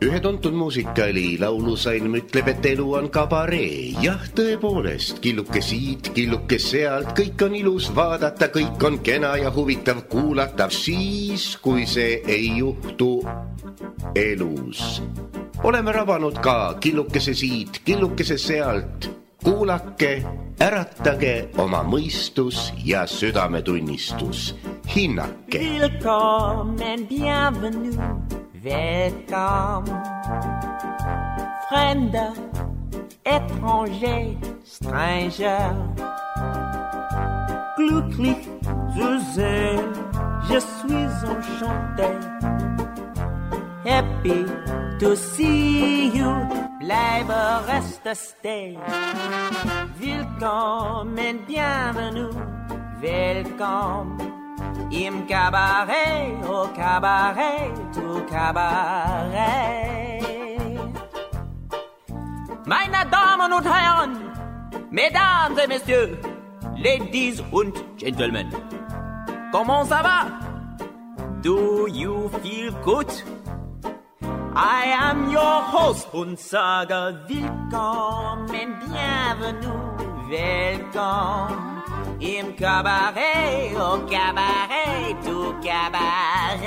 Ühe tuntud muusikali laulusalm ütleb, et elu on kabaree. Jah, tõepoolest, killuke siit, killuke sealt, kõik on ilus vaadata, kõik on kena ja huvitav kuulata, siis, kui see ei juhtu elus. Oleme rabanud ka killukese siit, killukese sealt. Kuulake, äratage oma mõistus ja südametunnistus. Hinnake. Willkommen, bienvenue, welcome. Fremder, étranger, stranger. Glücklich zu sehen, je suis enchanté. Happy to see you, bleibe reste stay. Willkommen, bienvenue, welcome. Im Cabaret, au Cabaret, au Cabaret. Meine Damen und Herren, Mesdames et Messieurs, Ladies und Gentlemen, comment ça va? Do you feel good? I am your host und sage willkommen, bienvenue, welcome. Im Cabaret, au Cabaret, au Cabaret.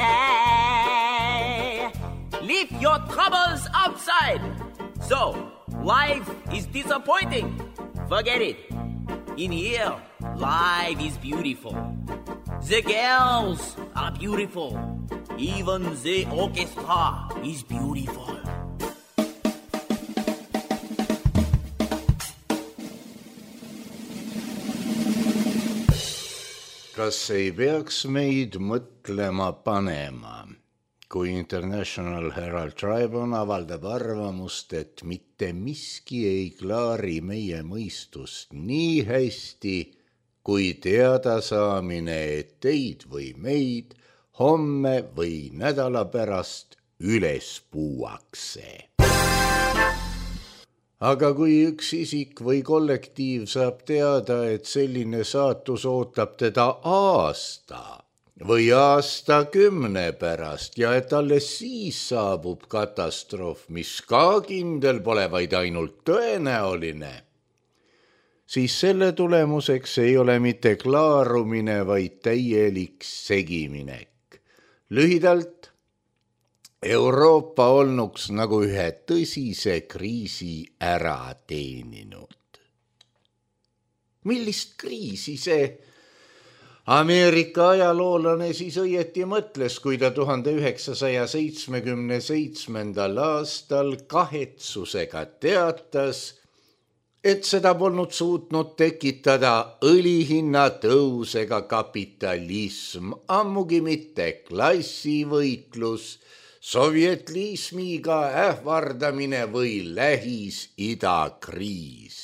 Leave your troubles outside. So, life is disappointing. Forget it. In here, life is beautiful. The girls are beautiful. Even the orchestra is beautiful. Kas ei peaks meid mõtlema panema, kui International Herald Tribune avaldab arvamust, et mitte miski ei klaari meie mõistust nii hästi, kui teada saamine, et teid või meid homme või nädala pärast üles puuakse. Aga kui üks isik või kollektiiv saab teada, et selline saatus ootab teda aasta või aastakümne pärast ja et alles siis saabub katastroof, mis ka kindel pole, vaid ainult tõenäoline, siis selle tulemuseks ei ole mitte klaarumine, vaid täielik segiminek. Lühidalt, Euroopa olnuks nagu ühe tõsise kriisi ära teeninud. Millist kriisi see Ameerika ajaloolane siis õieti mõtles, kui ta 1977. aastal kahetsusega teatas, et seda polnud suutnud tekitada õlihinna tõus ega kapitalism, ammugi mitte klassivõitlus, sovjetliismiga ähvardamine või Lähis-Ida kriis.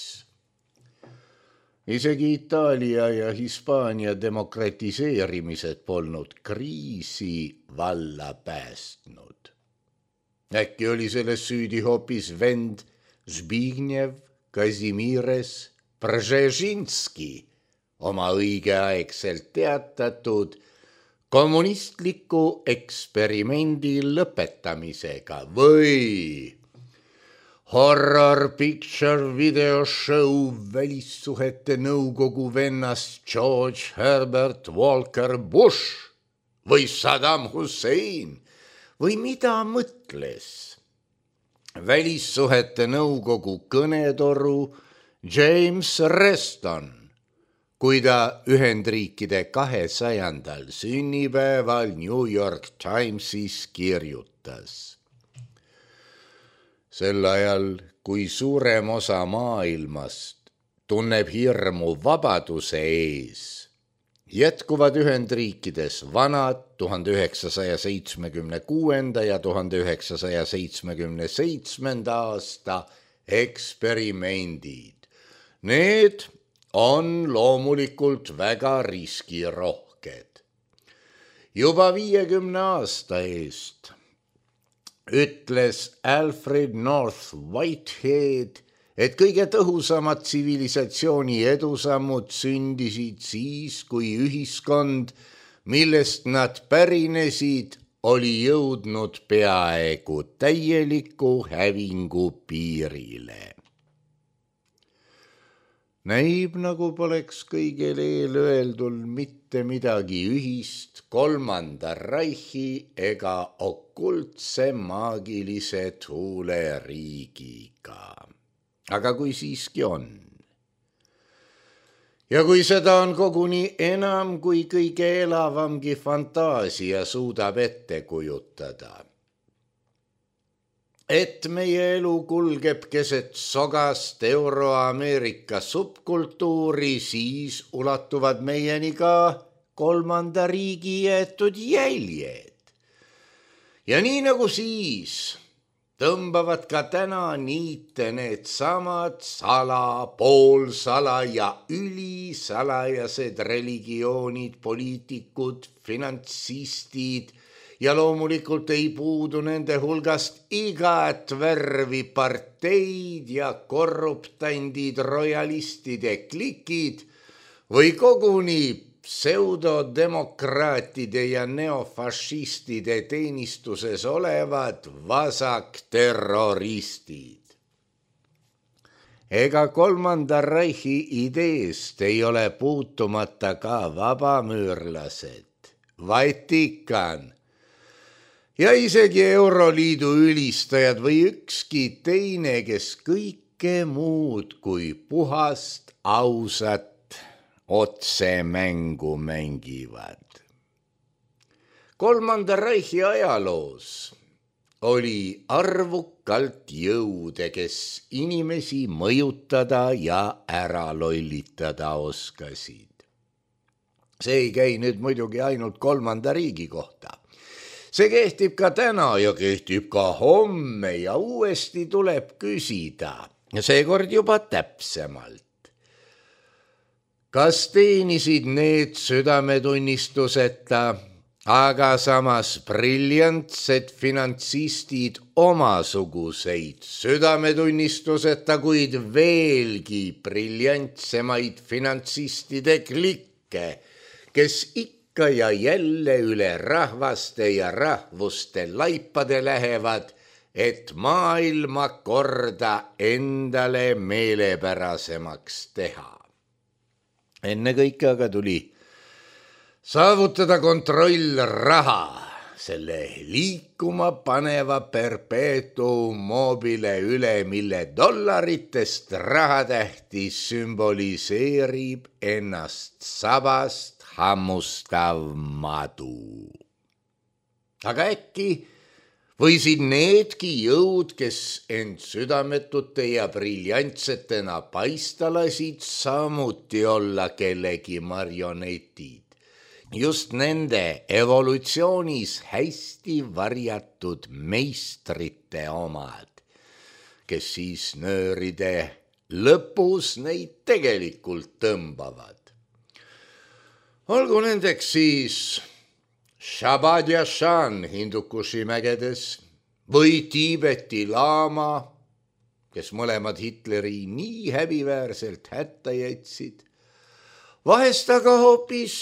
Isegi Itaalia ja Hispaania demokratiseerimised polnud kriisi valla päästnud. Äkki oli selles süüdi hoopis vend Zbigniew Kazimierz Przezhinski oma õigeaegselt teatatud kommunistliku eksperimendi lõpetamisega või horror picture video show välissuhete nõukogu vennast George Herbert Walker Bush või Saddam Hussein või mida mõtles välissuhete nõukogu kõnetoru James Reston, kui ta Ühendriikide 200. sünnipäeval New York Timesis kirjutas. Sel ajal, kui suurem osa maailmast tunneb hirmu vabaduse ees, jätkuvad Ühendriikides vanad 1976. ja 1977. aasta eksperimendid. Need on loomulikult väga riskirohked. Juba 50 aasta eest ütles Alfred North Whitehead, et kõige tõhusamad tsivilisatsiooni edusammud sündisid siis, kui ühiskond, millest nad pärinesid, oli jõudnud peaaegu täieliku hävingu piirile. Näib, nagu poleks kõigel eelöeldul mitte midagi ühist kolmanda Reichi ega okultse maagilise tuuleriigiga. Aga kui siiski on. Ja kui seda on koguni enam, kui kõige elavamgi fantaasia suudab ette kujutada. Et meie elu kulgeb keset sogast Euro-Ameerika subkultuuri, siis ulatuvad meieni ka kolmanda riigi jäetud jäljed. Ja nii nagu siis tõmbavad ka täna niite need samad poolsala ja ülisalajased religioonid, poliitikud, finantsistid ja loomulikult ei puudu nende hulgast igat värvi parteid ja korruptandid, royalistide klikid või koguni pseudodemokraatide ja neofašistide teenistuses olevad vasakterroristid. Ega kolmanda Reichi ideest ei ole puutumata ka vabamüürlased, Vatikan ja isegi Euroliidu ülistajad või ükski teine, kes kõike muud kui puhast, ausat otsemängu mängivad. Kolmanda Reichi ajaloos oli arvukalt jõude, kes inimesi mõjutada ja ära lollitada oskasid. See ei käi nüüd muidugi ainult kolmanda riigi kohta. See kehtib ka täna ja kehtib ka homme ja uuesti tuleb küsida, seekord juba täpsemalt. Kas teenisid need südametunnistuseta, aga samas briljantsed finantsistid omasuguseid südametunnistuseta, kuid veelgi briljantsemaid finantsistide klikke, kes ikka ja jälle üle rahvaste ja rahvuste laipade lähevad, et maailmakorda endale meelepärasemaks teha. Ennekõike aga tuli saavutada kontroll raha, selle liikuma paneva perpetuum mobile üle, mille dollaritest rahatähti sümboliseerib ennast sabast hammustav madu. Aga äkki võisid needki jõud, kes end südametute ja briljantsetena paista lasid, samuti olla kellegi marionetid. Just nende evolutsioonis hästi varjatud meistrite omad, kes siis nööride lõpus neid tegelikult tõmbavad. Olgu nendeks siis Shabad Yashan Hindukushi mägedes või Tiibeti laama, kes mõlemad Hitleri nii häbiväärselt hätta jätsid, vahest aga hoopis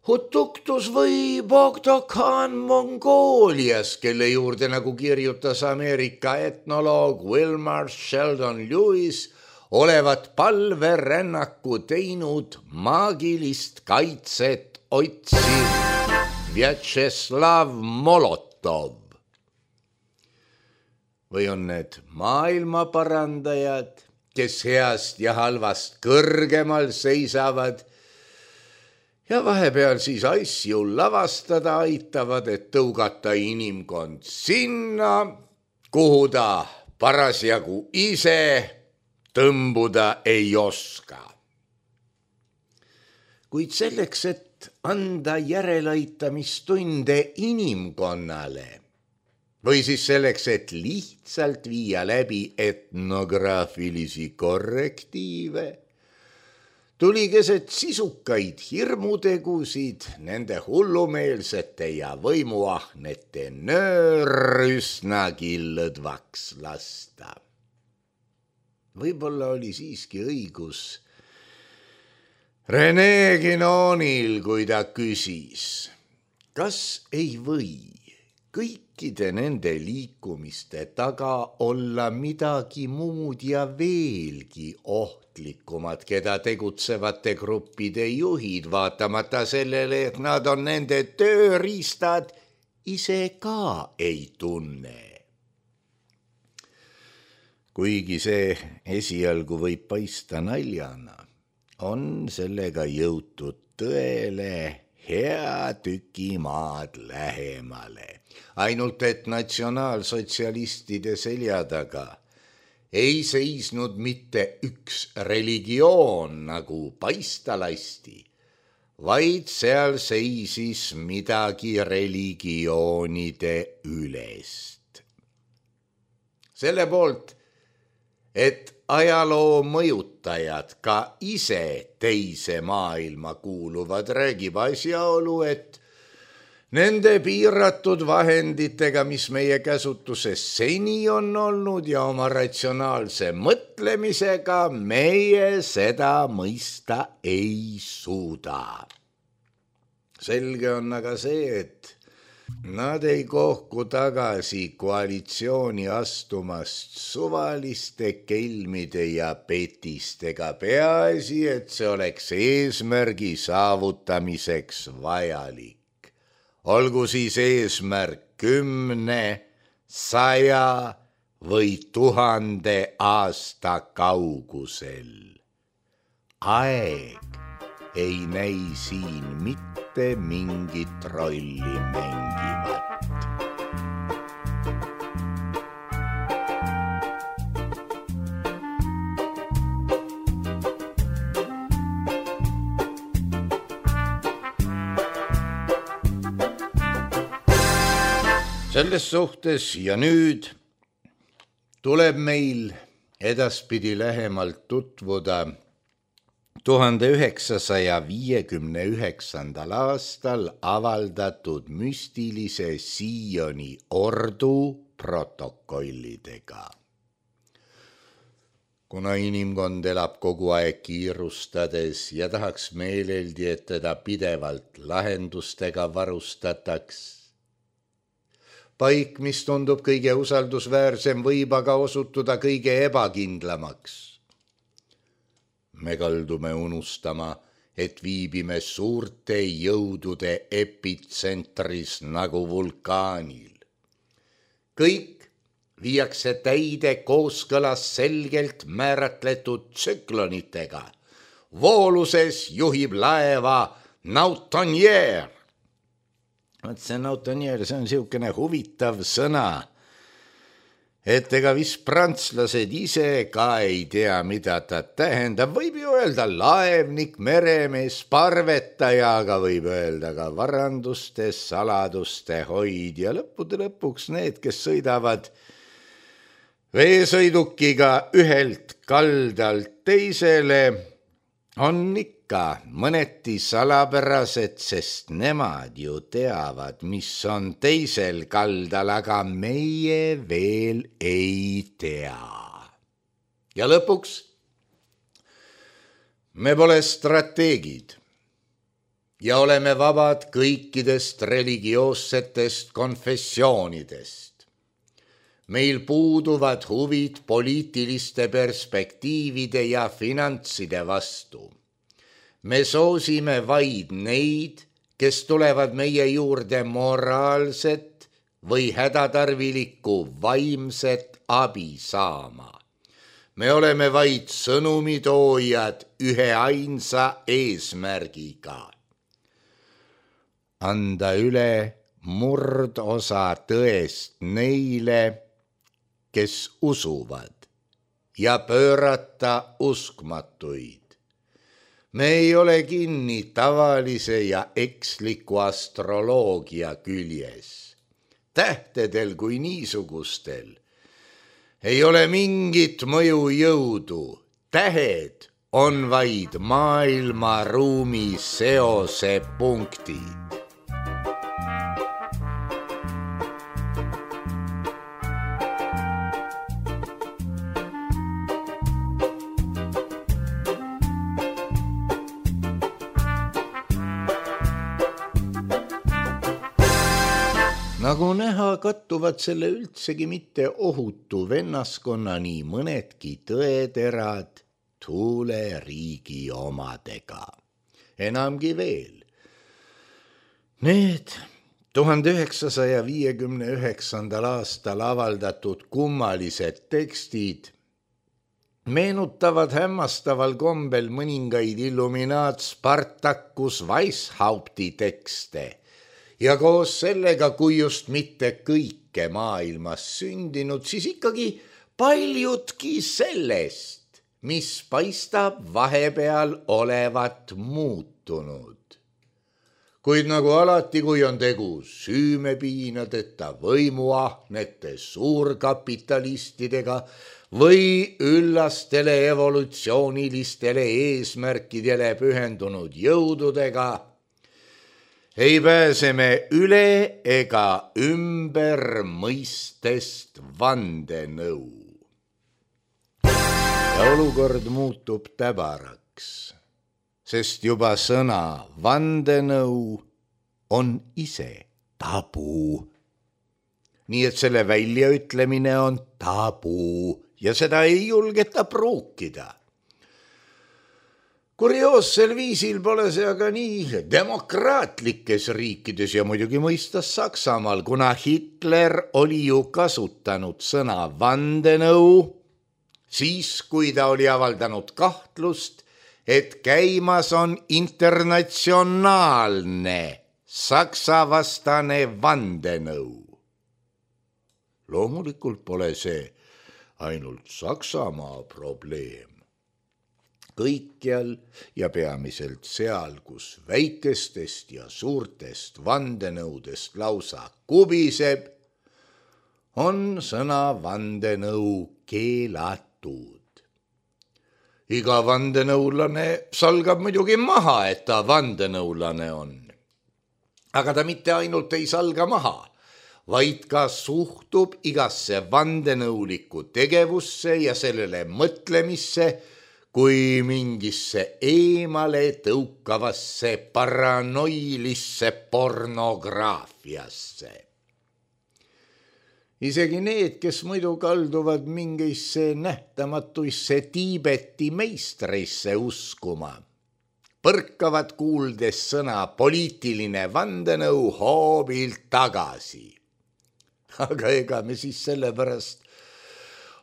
Hutuktus või Bogdo-Khan Mongoolias, kelle juurde, nagu kirjutas Ameerika etnoloog Wilmar Sheldon Lewis, olevat palverännaku teinud maagilist kaitset otsiv Vjatšeslav Molotov. Või on need maailma parandajad, kes heast ja halvast kõrgemal seisavad ja vahepeal siis asju lavastada aitavad, et tõugata inimkond sinna, kuhu ta parasjagu ise tõmbuda ei oska. Kuid selleks, et anda järeleaitamistunde inimkonnale või siis selleks, et lihtsalt viia läbi etnograafilisi korrektiive, tuli keset sisukaid hirmutegusid nende hullumeelsete ja võimuahnete nöör üsnagi lõdvaks lasta. Võib-olla oli siiski õigus Rene Guinonil, kui ta küsis, kas ei või kõikide nende liikumiste taga olla midagi muud ja veelgi ohtlikumat, keda tegutsevate gruppide juhid, vaatamata sellele, et nad on nende tööriistad, ise ka ei tunne? Kuigi see esialgu võib paista naljana, on sellega jõutud tõele hea tüki maad lähemale. Ainult et natsionaalsotsialistide selja taga ei seisnud mitte üks religioon, nagu paista lasti, vaid seal seisis midagi religioonide ülest. Selle poolt, et ajaloo mõjutajad ka ise teise maailma kuuluvad, räägib asjaolu, et nende piiratud vahenditega, mis meie käsutuses seni on olnud ja oma ratsionaalse mõtlemisega meie seda mõista ei suuda. Selge on aga see, et nad ei kohku tagasi koalitsiooni astumast suvaliste kelmide ja petistega, peaasi, et see oleks eesmärgi saavutamiseks vajalik. Olgu siis eesmärk 10, 100 või 1000 aasta kaugusel. Aeg ei näi siin mitte mingit rolli mängivat. Selles suhtes ja nüüd tuleb meil edaspidi lähemalt tutvuda 1959. aastal avaldatud müstilise Sioni ordu protokollidega. Kuna inimkond elab kogu aeg kiirustades ja tahaks meeleldi, et teda pidevalt lahendustega varustataks, paik, mis tundub kõige usaldusväärsem, võib aga osutuda kõige ebakindlamaks. Me kaldume unustama, et viibime suurte jõudude epitsentris nagu vulkaanil. Kõik viiakse täide kooskõlas selgelt määratletud tsüklonitega. Vooluses juhib laeva nautonier. See nautonier, see on siukene huvitav sõna, et ega vist prantslased ise ka ei tea, mida ta tähendab. Võib ju öelda laevnik, meremees, parvetaja, aga võib öelda ka varanduste, saladuste hoidja. Lõppude lõpuks need, kes sõidavad veesõidukiga ühelt kaldalt teisele, on ikka mõneti salapärased, sest nemad ju teavad, mis on teisel kaldal, aga meie veel ei tea. Ja lõpuks, me pole strateegid ja oleme vabad kõikidest religioossetest konfessioonidest. Meil puuduvad huvid poliitiliste perspektiivide ja finantside vastu. Me soosime vaid neid, kes tulevad meie juurde moraalset või hädatarvilikku vaimset abi saama. Me oleme vaid sõnumitoojad ühe ainsa eesmärgiga. Anda üle murdosa tõest neile, kes usuvad, ja pöörata uskmatuid. Me ei ole kinni tavalise ja eksliku astroloogia küljes. Tähtedel kui niisugustel ei ole mingit mõjujõudu. Tähed on vaid maailmaruumi seosepunktid. Nagu näha, kattuvad selle üldsegi mitte ohutu vennaskonna nii mõnedki tõeterad tuuleriigi omadega. Enamgi veel. Need 1959. aastal avaldatud kummalised tekstid meenutavad hämmastaval kombel mõningaid Illuminaat Spartacus Weishaupti tekste ja koos sellega, kui just mitte kõike maailmas sündinud, siis ikkagi paljudki sellest, mis paistab vahepeal olevat muutunud. Kuid nagu alati, kui on tegu süümepiinadeta võimuahnete suurkapitalistidega või üllastele evolutsioonilistele eesmärkidele pühendunud jõududega, ei pääse me üle ega ümber mõistest vandenõu. Ja olukord muutub täbaraks, sest juba sõna vandenõu on ise tabu. Nii et selle väljaütlemine on tabu ja seda ei julgeta pruukida. Kurioossel viisil pole see aga nii demokraatlikes riikides ja muidugi mõistas Saksamaal, kuna Hitler oli ju kasutanud sõna vandenõu, siis kui ta oli avaldanud kahtlust, et käimas on internatsionaalne Saksa-vastane vandenõu. Loomulikult pole see ainult Saksamaa probleem. Kõikjal ja peamiselt seal, kus väikestest ja suurtest vandenõudest lausa kubiseb, on sõna vandenõu keelatud. Iga vandenõulane salgab muidugi maha, et ta vandenõulane on. Aga ta mitte ainult ei salga maha, vaid ka suhtub igasse vandenõulikku tegevusse ja sellele mõtlemisse kui mingisse eemale tõukavasse paranoilisse pornograafiasse. Isegi need, kes muidu kalduvad mingisse nähtamatuisse Tiibeti meistrisse uskuma, põrkavad kuuldes sõna poliitiline vandenõu hoobilt tagasi. Aga ega me siis sellepärast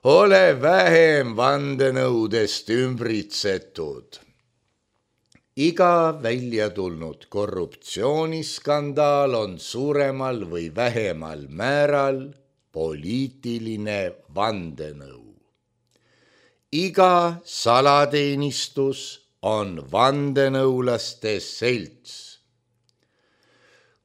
ole vähem vandenõudest ümbritsetud. Iga välja tulnud korruptsiooniskandaal on suuremal või vähemal määral poliitiline vandenõu. Iga salateenistus on vandenõulaste selts.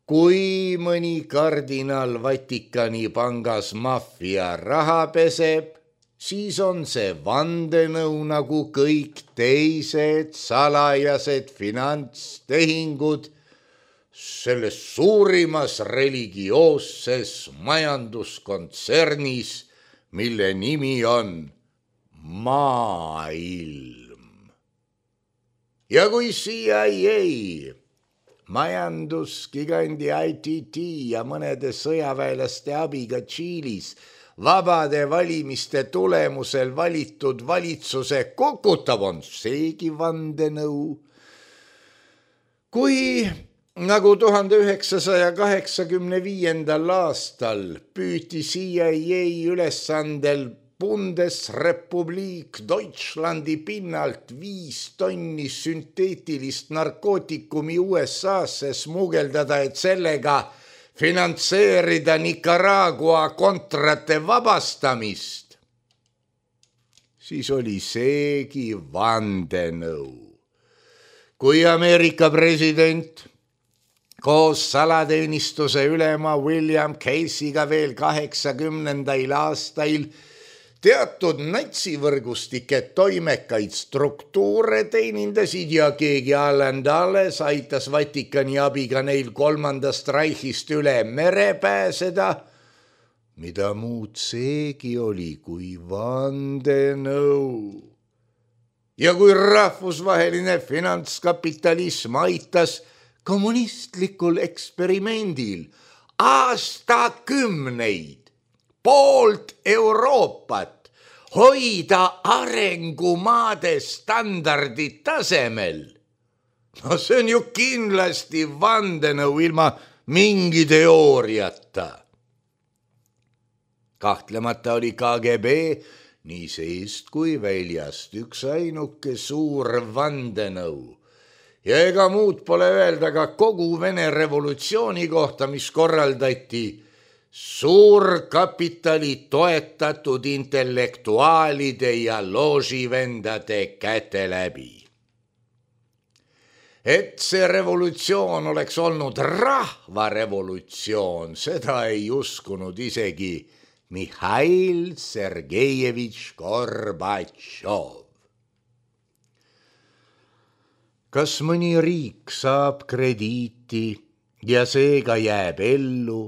Kui mõni kardinal Vatikani pangas maffia raha peseb, siis on see vandenõu nagu kõik teised salajased finantstehingud selles suurimas religioosses majanduskontsernis, mille nimi on maailm. Ja kui CIA, majandusgigandi ITT ja mõnede sõjaväelaste abiga Tšiilis vabade valimiste tulemusel valitud valitsuse kukutab, on seegi vandenõu. Kui nagu 1985. aastal püüti CIA ülesandel Bundesrepublik Deutschlandi pinnalt 5 tonni sünteetilist narkootikumi USA'sse smugeldada, et sellega finantseerida Nicaragua kontrate vabastamist, siis oli seegi vandenõu. Kui Ameerika president koos salateenistuse ülema William Casey'ga veel 80. aastail teatud natsivõrgustike toimekaid struktuure teenindasid ja keegi Alan Dulles aitas Vatikani abiga neil 3. Reichist üle mere pääseda, mida muud seegi oli kui vandenõu. Ja kui rahvusvaheline finantskapitalism aitas kommunistlikul eksperimendil aastakümneid poolt Euroopat hoida arengumaade standardid tasemel. No see on ju kindlasti vandenõu ilma mingi teooriata. Kahtlemata oli KGB nii seest kui väljast üks ainuke suur vandenõu. Ja ega muud pole öelda ka kogu Vene revolutsiooni kohta, mis korraldati suurkapitali toetatud intellektuaalide ja looživendade käte läbi. Et see revolutsioon oleks olnud rahvarevolutsioon, seda ei uskunud isegi Mihhail Sergejevitš Gorbatšov. Kas mõni riik saab krediiti ja seega jääb ellu,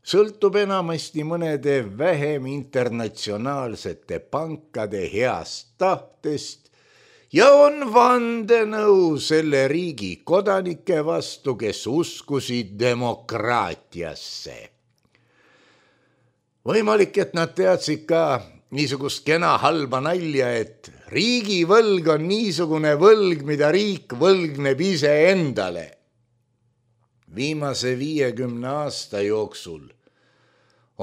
sõltub enamasti mõnede vähem internatsionaalsete pankade heast tahtest ja on vandenõu selle riigi kodanike vastu, kes uskusid demokraatiasse. Võimalik, et nad teadsid ka niisugust kena halba nalja, et riigivõlg on niisugune võlg, mida riik võlgneb ise endale. Viimase 50 aasta jooksul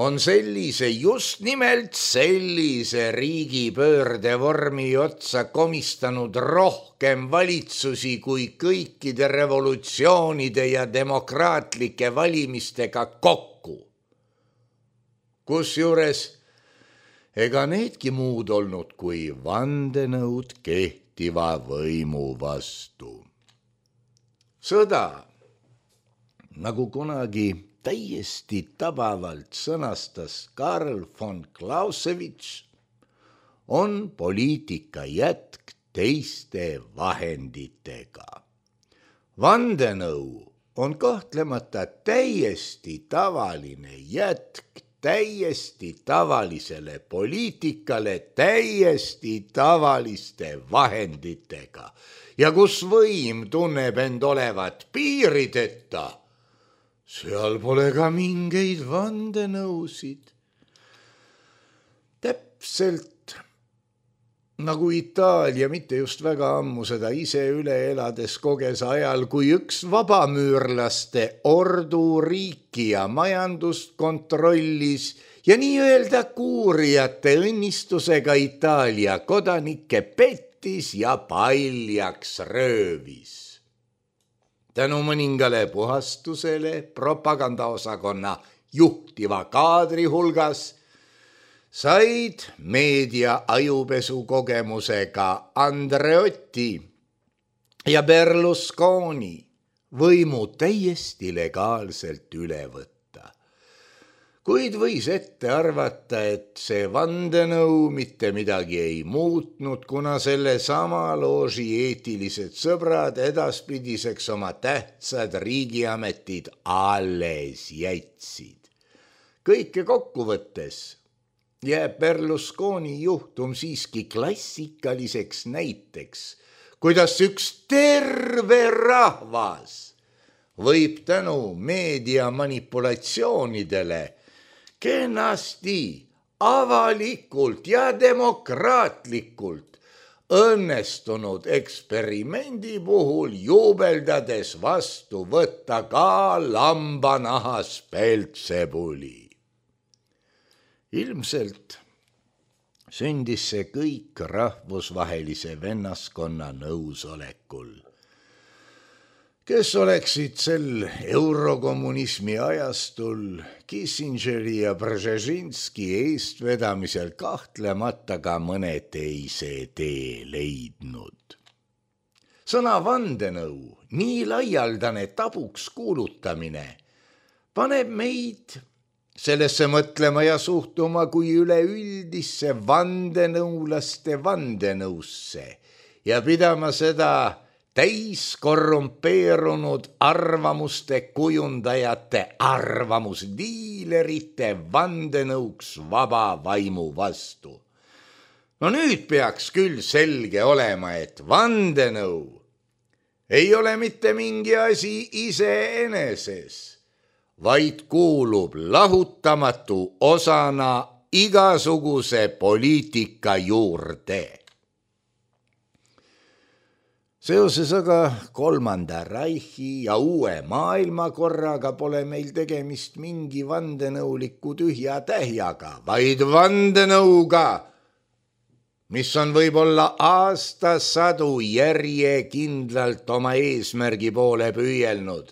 on just nimelt sellise riigipöörde vormi otsa komistanud rohkem valitsusi kui kõikide revolutsioonide ja demokraatlike valimistega kokku. Kusjuures ega needki muud olnud kui vandenõud kehtiva võimu vastu. Sõda, nagu kunagi täiesti tabavalt sõnastas Karl von Clausewitz, on poliitika jätk teiste vahenditega. Vandenõu on kahtlemata täiesti tavaline jätk täiesti tavalisele poliitikale täiesti tavaliste vahenditega. Ja kus võim tunneb end olevat piirideta, seal pole ka mingeid vandenõusid. Täpselt nagu Itaalia mitte just väga ammu seda ise üle elades koges ajal, kui üks vabamüürlaste orduriiki ja majandust kontrollis ja nii-öelda kuurijate õnnistusega Itaalia kodanikke pettis ja paljaks röövis. Tänu mõningale puhastusele propagandaosakonna juhtiva kaadri hulgas said meedia ajupesu kogemusega Andreotti ja Berlusconi võimu täiesti legaalselt üle võtta. Kuid võis ette arvata, et see vandenõu mitte midagi ei muutnud, kuna selle sama looži eetilised sõbrad edaspidiseks oma tähtsad riigiametid alles jätsid. Kõike kokkuvõttes jääb Berlusconi juhtum siiski klassikaliseks näiteks, kuidas üks terve rahvas võib tänu meedia manipulatsioonidele kenasti, avalikult ja demokraatlikult õnnestunud eksperimendi puhul juubeldades vastu võtta ka lambanahas Peltsebuli. Ilmselt sündis see kõik rahvusvahelise vennaskonna nõusolekul, kes oleksid sel eurokommunismi ajastul Kissingeri ja Brzezinski eestvedamisel kahtlemata ka mõne teise tee leidnud. Sõna vandenõu, nii laialdane tabuks kuulutamine, paneb meid sellesse mõtlema ja suhtuma kui üleüldisse vandenõulaste vandenõusse ja pidama seda täiskorrumpeerunud arvamuste kujundajate arvamusdiilerite vandenõuks vaba vaimu vastu. No nüüd peaks küll selge olema, et vandenõu ei ole mitte mingi asi iseeneses, vaid kuulub lahutamatu osana igasuguse poliitika juurde. Seoses aga kolmanda Reichi ja uue maailmakorraga pole meil tegemist mingi vandenõuliku tühja tähjaga, vaid vandenõuga, mis on võib-olla aastasadu järjekindlalt oma eesmärgi poole püüelnud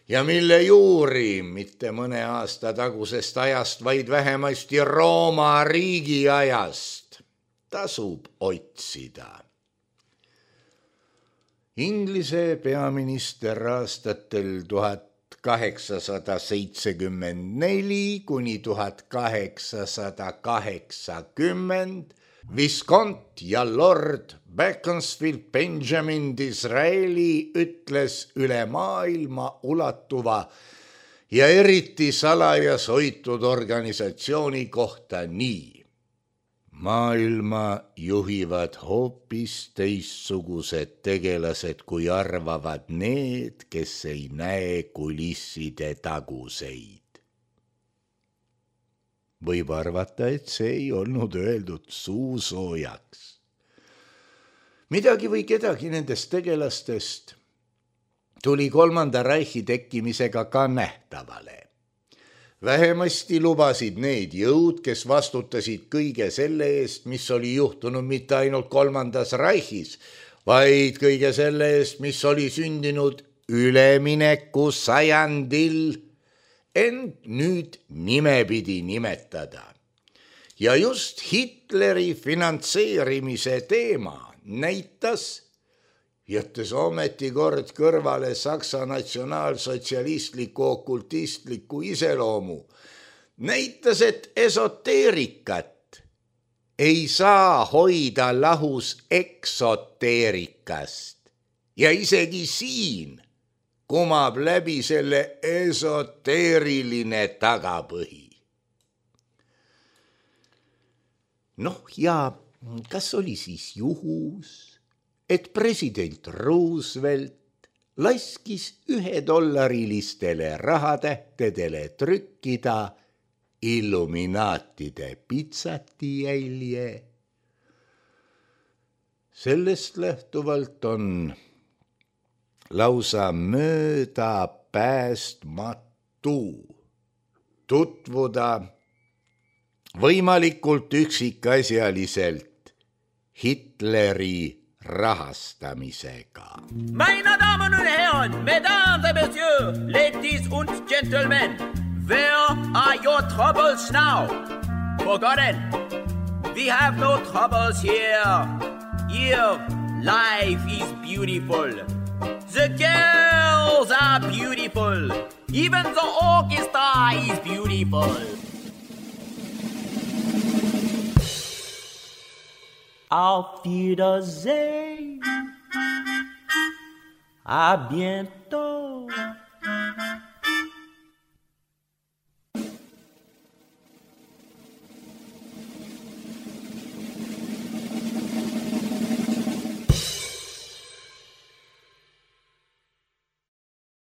ja mille juuri mitte mõne aasta tagusest ajast, vaid vähemasti Rooma riigi ajast tasub otsida. Inglise peaminister aastatel 1874 kuni 1880 Viscount ja Lord Beaconsfield Benjamin Disraeli ütles üle maailma ulatuva ja eriti salajas hoitud organisatsiooni kohta nii. Maailma juhivad hoopis teistsugused tegelased, kui arvavad need, kes ei näe kulisside taguseid. Võib arvata, et see ei olnud öeldud suusoojaks. Midagi või kedagi nendest tegelastest tuli kolmanda Reichi tekkimisega ka nähtavale. Vähemasti lubasid need jõud, kes vastutasid kõige selle eest, mis oli juhtunud mitte ainult kolmandas Reichis, vaid kõige selle eest, mis oli sündinud ülemineku sajandil, ent nüüd nimepidi nimetada. Ja just Hitleri finantseerimise teema näitas, jättes ometi kord kõrvale Saksa natsionaalsotsialistliku okultistliku iseloomu, näitas, et esoteerikat ei saa hoida lahus eksoteerikast ja isegi siin kumab läbi selle esoteeriline tagapõhi. Ja kas oli siis juhus, et president Roosevelt laskis $1 rahatähtedele trükkida illuminaatide pitsati jälje? Sellest lähtuvalt on lausa möödapäästmatu tutvuda võimalikult üksikasjaliselt Hitleri rahastamisega. Meine Damen und Herren, Mesdames et Messieurs, Ladies und Gentlemen, where are your troubles now? Forgotten, we have no troubles here. Here, life is beautiful. The girls are beautiful. Even the orchestra is beautiful. Auf Wiedersehen. À bientôt.